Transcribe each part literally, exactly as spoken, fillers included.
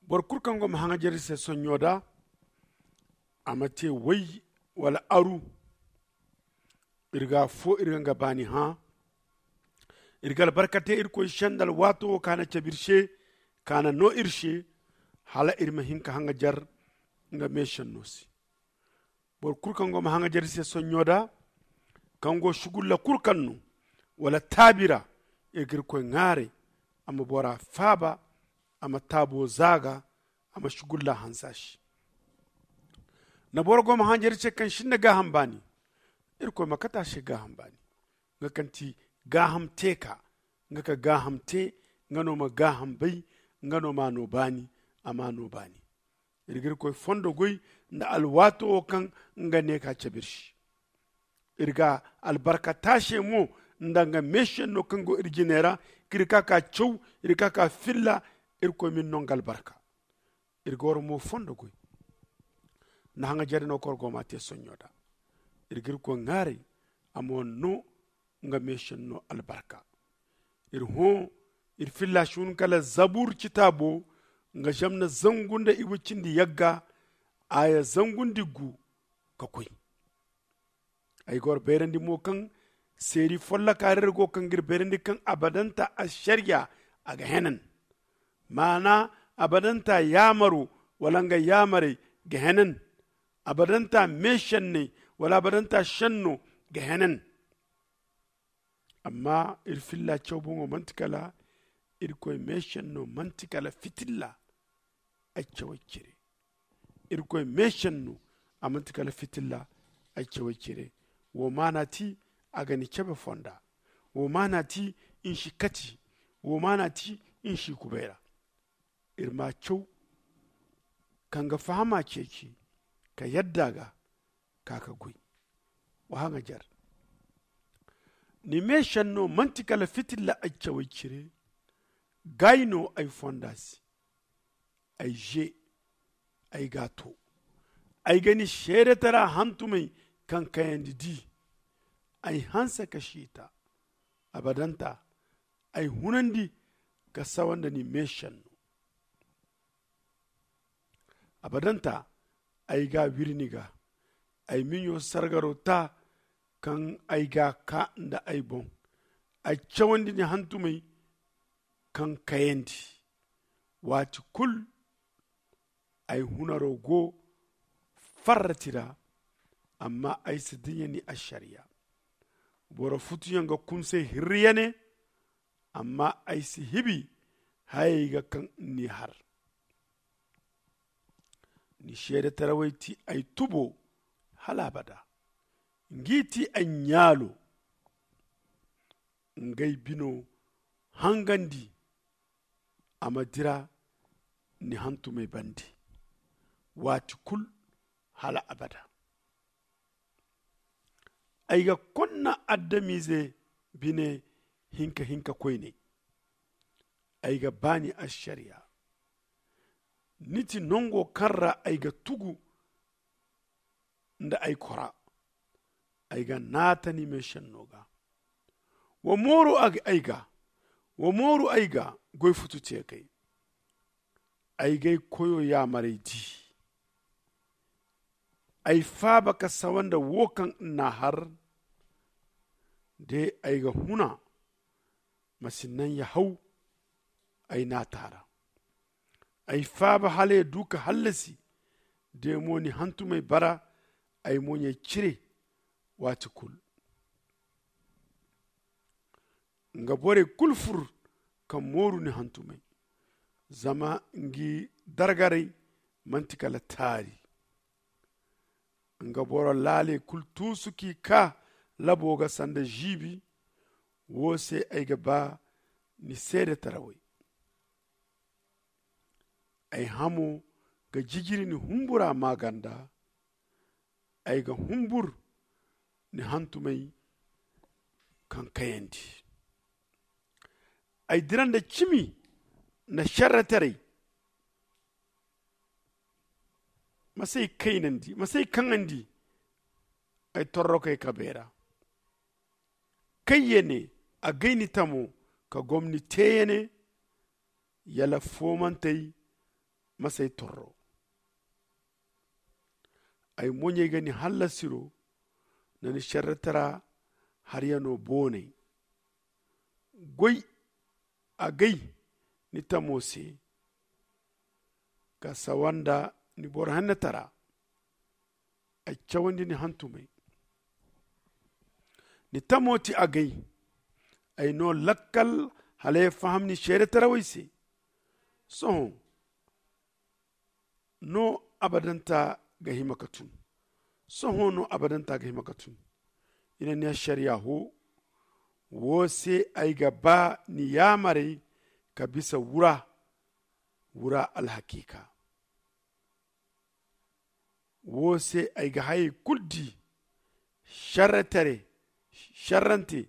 Boro kulu kaŋ go ma haŋajer iri se sonɲo da, a ma te way wala aru. Iri ga fo iri ga nga baani hã. Iri ga albarka te irkoy se nda alwaato wo kaŋ a na cabe iri se, kaŋ a na no iri se, hala iri ma hin ka haŋajer nga meesenno se. Boro kulu kaŋ go ma haŋajer iri se sonɲo da, kaŋ go sugulla kulu kaŋ no wala taabi ra, iri ga irkoy ŋwaaray, a ma bora faaba, a ma taabo zaaga, a ma sugulla hanse a se. Na boro go ma haŋajer iri se kaŋ sinda gaaham baani, irkoy ma kate a se gaaham baani. Nga kaŋ ti gaaham teeka, nga ka gaaham te, nga no ma gaaham bay, nga no ma a no baani, a ma a no baani. Iri ga irkoy fondo goy nda alwaato wo kaŋ nga ne ka cabe iri se. Iri ga albarka taase mo nda nga meesenno kaŋ go iri jine ra, kaŋ iri ka ka caw, iri ka ka filla. Irkoy ma iri no nga albarka. Iri ga war mo fondo goy nda haŋajer no kaŋ war go ma a te sonɲo da. Iri ga irkoy ŋwaaray, a ma war no nga meesenno albarka. Iri hõ, iri filla si hun kala zabur citaabo, nga zamna zangu nda iwe cindi yagga, aya zangu nda iggu ka koy. Ay ga war bayrandi mo kaŋ seeri folloka ra iri go kaŋ ga iri bayrandi kaŋ abadanta ašariya a ga henan. Maana, abadanta yaamaro wala nga yaamarey ga henan. Abadanta meesenney wala abadanta senno ga henan. Amma iri filla caw boŋo manti kala irkoy meesenno manti kala fitilla. Ay cawey cire irkoy meesenno a manti kala fitilla. Ay cawey cire wo maana ti a ga ni cabe fonda. Wo maana ti ni si kati. Wo maana ti ni si kubay ra. Iri ma caw ka nga fahama ceeci ka yadda ga ka ka goy. Wa haŋajer ni meesenno manti kala fitilla ay cawey cire. Gaayi no ay fonda se. Ay ze ay ga a to. Ay ga ni seedetara hantumey kaŋ kayandi di. Ay hanse ka siita abadanta. Ay hunandi ka sawa nda ni meesenno. Abadanta ay ga a wiri ni ga. Ay miɲo sargaro ta kaŋ ay ga a ka nda ay boŋ. Ay cawandi ni hantumey kaŋ kayandi. Waati kulu ay hunaro go farrati ra. Amma ay si dinya ni ašariya. Boro futuyaŋ ga kunsay hirriyane. Amma ay si hibi hayey ga kaŋ ni har. Ni seedetarawey ti ay tubo hala abada. Ngi ti ay ɲaalo. Ngey bino hangandi a ma dira ni hantumey bande waati kulu hala abada. Ay ga konna adamize bine hinka hinka koyney. Ay ga ba ni ašariya. Ni ti nango kaŋ ra ay ga tugu nda ay kora. Ay ga naata ni meesenno ga. Wa mooru ay ga wa mooru ay ga goy futu teekey. Ay g'ay koyo yaamarey di. Ay faaba ka sawa nda wo kaŋ n'a har. De ay ga huna ma si naŋ ya haw ay naata ra. Ay faaba hala ya du ka hallasi. De mo ni hantumey bara ay moɲey cire. Waati kulu nga borey kulu fur ka mooru ni hantumey. Zama ngi dargaray manti kala taari. Nga boro laaley kulu tuusu k'i kaa labo ga sanda ziibi. Wo se ay ga ba ni seedetarawey. Ay hamo ga jijiri ni humbura maaganda. Ay ga humbur ni hantumey kaŋ kayandi. Ay dira nda cimi nda serretaray. Ma s'ay kaynandi ma s'ay kaŋandi. Ay torrokey kabey ra. Kayyane a gay ni tamo ka gomni teeyane. Yala foomantey masay torro. Ay moɲey ga ni hallasiro nda ni šerretara haryano boonay. Goy agay ni tamo se ka sawa nda ni boro hennetara. Ay cawandi ni hantumey. Ni tamo ti agay. Ay no lakkal hala ya faham ni seedetarawey se. Sohõ no abadanta ga hima ka tun. Sohõ no abadanta ga hima ka tun. I na ni ašariya ho wo se ay ga ba ni yaamarey ka bisa wura wura alhakiika. Wo se ay ga hayey kulu di šerre tare šerrante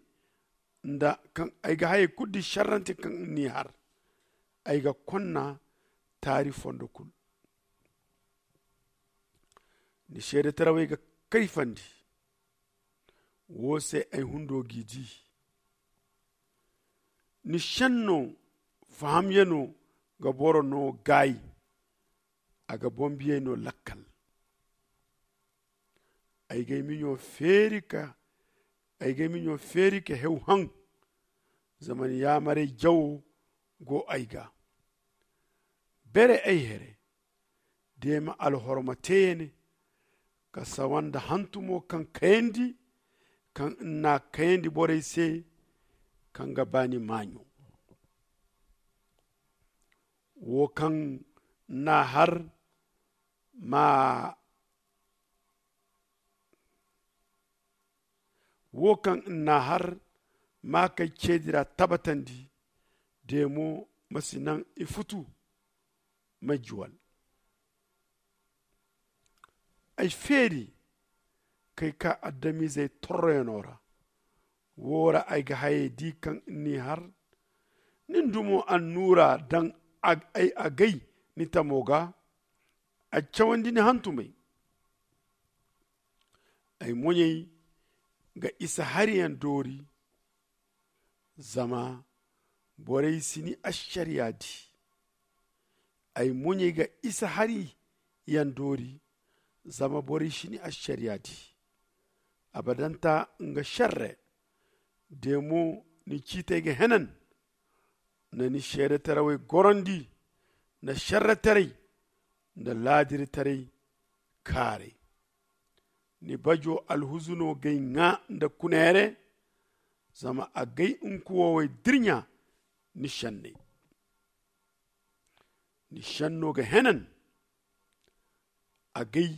nda kaŋ ay ga hayey kulu di šerrante kaŋ ni har. Ay ga konna taari fondo kulu. Ni seedetarawey ga kayfandi. Wo se ay hundo g'i di. Ni šenno fahamyano ga boro no gaayi. A ga boŋ biyey no lakkal. Ay g'ay miɲo feeri ka ay g'ay miɲo feeri ka hew haŋ. Zama ni yaamarey jawo go ay ga. Bere ay here deema alhorma teeyane ka sawa nda hantumo kaŋ kayandi kaŋ n'a kayandi borey se kaŋ ga ba ni maaɲo. Wo kaŋ n'a har ma wo kaŋ n'a har ma kay ceedi ra tabatandi. De mo ma si naŋ i futu ma juwal. Ay feeri kay ka adamizey torroyano ra. Wo ra ay ga hayey di kaŋ ni har. Nin dumo annuura daŋ ay agay ni tamo ga. A cawandi ni hantumey. Ay moɲey ga isa hariyaŋ doori. Zama borey si ni ašariya di. Ay moɲey ga isa hariyaŋ doori. Zama borey si ni ašariya di. Abadanta nga šerre de mo ni ciitey ga henan. Nda ni seedetarawey gorandi nda šerretaray nda laadiritaray kaaray. Ni bajo alhuzuno g'ay ŋaa nda kuneere. Zama agay nkuwowey dirɲa ni šenney. Ni šenno ga henan. Agay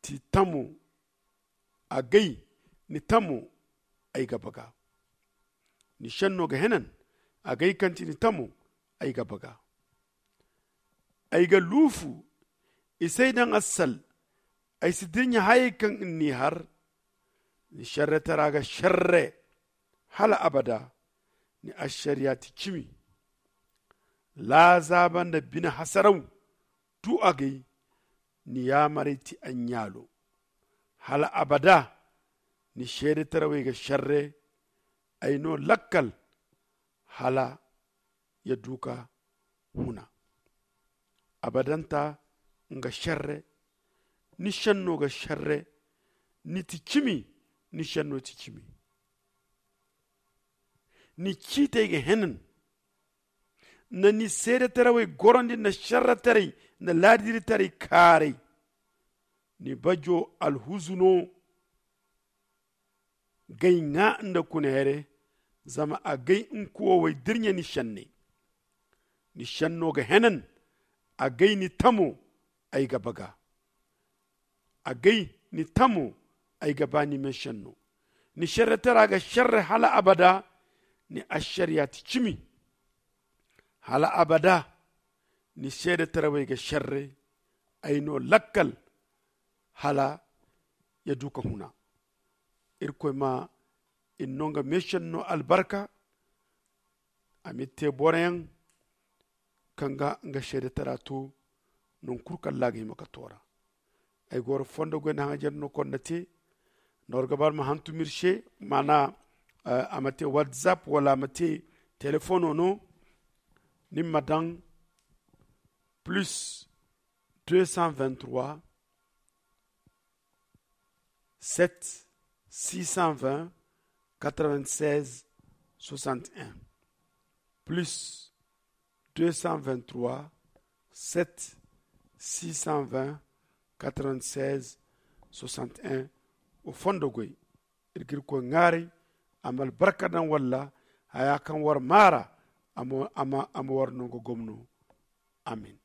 ti tamo agay ni tamo ay ga baga. Ni šenno ga henan. Agay kaŋ ti ni tamo ay ga baga. Ay ga luufu isay daŋ assal. Ay si dirɲa hayey kaŋ ni har. Ni šerretara ga šerre hala abada. Ni ašariya ti cimi. Laazaaba nda bine hasaraw tu agay. Ni yaamarey ti aɲɲaalo. Hala abada ni seedetarawey ga šerre. Ay no lakkal hala ya du ka huna. Abadanta nga šerre. Ni šenno ga šerre. Ni ti cimi. Ni šenno ti cimi. Ni ciitey ga henan. Nda ni seedetarawey gorandi nda šerretaray nda laadiritaray kaaray. Ni bajo alhuzuno g'ay ŋaa nda kuneere. Zama agay nkuwowey dirɲa ni šenney. Ni šenno ga henan. Agay ni tamo ay ga baga. Agay ni tamo ay ga ba ni me šenno. Ni šerretara ga šerre hala abada. Ni ašariya ti cimi. Hala abada ni seedetarawey ga šerre. Ay no lakkal hala ya du ka huna. Irkoy ma i no nga meešenno albarka. A m'iri te boroyaŋ kaŋ ga nga seedetara to. Nangu kulu kaŋ ra a ga hima ka toora. Ay goro fondo goy nda haŋajer no konda te. Nda war ga ba ma hantum iri se maana a ma te whatsapp wala a ma te telefono no. Ni ma daŋ Plus deux cent vingt trois, sept six cent vingt, quatre vingt seize soixante un. Plus deux cent vingt trois, sept six cent vingt, quatre vingt seize soixante un. Wa fondo goy. Iri ga irkoy ŋwaaray a ma albarka daŋ walla haya kaŋ war maara a ma war nango gomno. Amin.